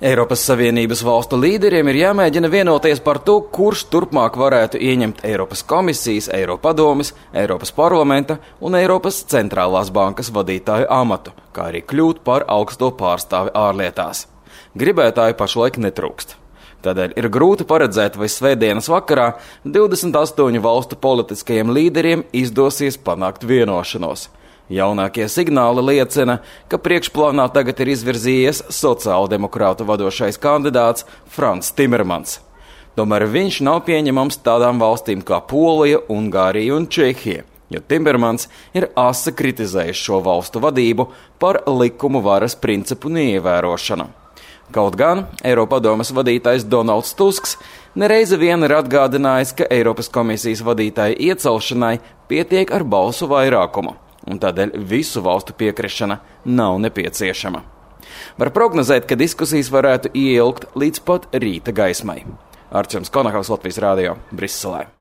Eiropas Savienības valstu līderiem ir jāmēģina vienoties par to, kurš turpmāk varētu ieņemt Eiropas komisijas, Eiropadomes, Eiropas parlamenta un Eiropas centrālās bankas vadītāju amatu, kā arī kļūt par augsto pārstāvi ārlietās. Gribētāju pašlaik netrūkst. Tādēļ ir grūti paredzēt, vai svētdienas vakarā 28 valstu politiskajiem līderiem izdosies panākt vienošanos. Jaunākie signāli liecina, ka priekšplānā tagad ir izvirzījies sociāldemokrātu vadošais kandidāts Frans Timermans. Tomēr viņš nav pieņemams tādām valstīm kā Polija, Ungārija un Čehija, jo Timermans ir asi kritizējis šo valstu vadību par likumu varas principu neievērošanu. Kaut gan Eiropadomes vadītājs Donalds Tusks nereizi vien ir atgādinājis, ka Eiropas komisijas vadītāja iecelšanai pietiek ar balsu vairākumu, un tādēļ visu valstu piekrišana nav nepieciešama. Var prognozēt, ka diskusijas varētu ieilgt līdz pat rīta gaismai. Arčuns Konahaus, Latvijas Rādio, Briselē.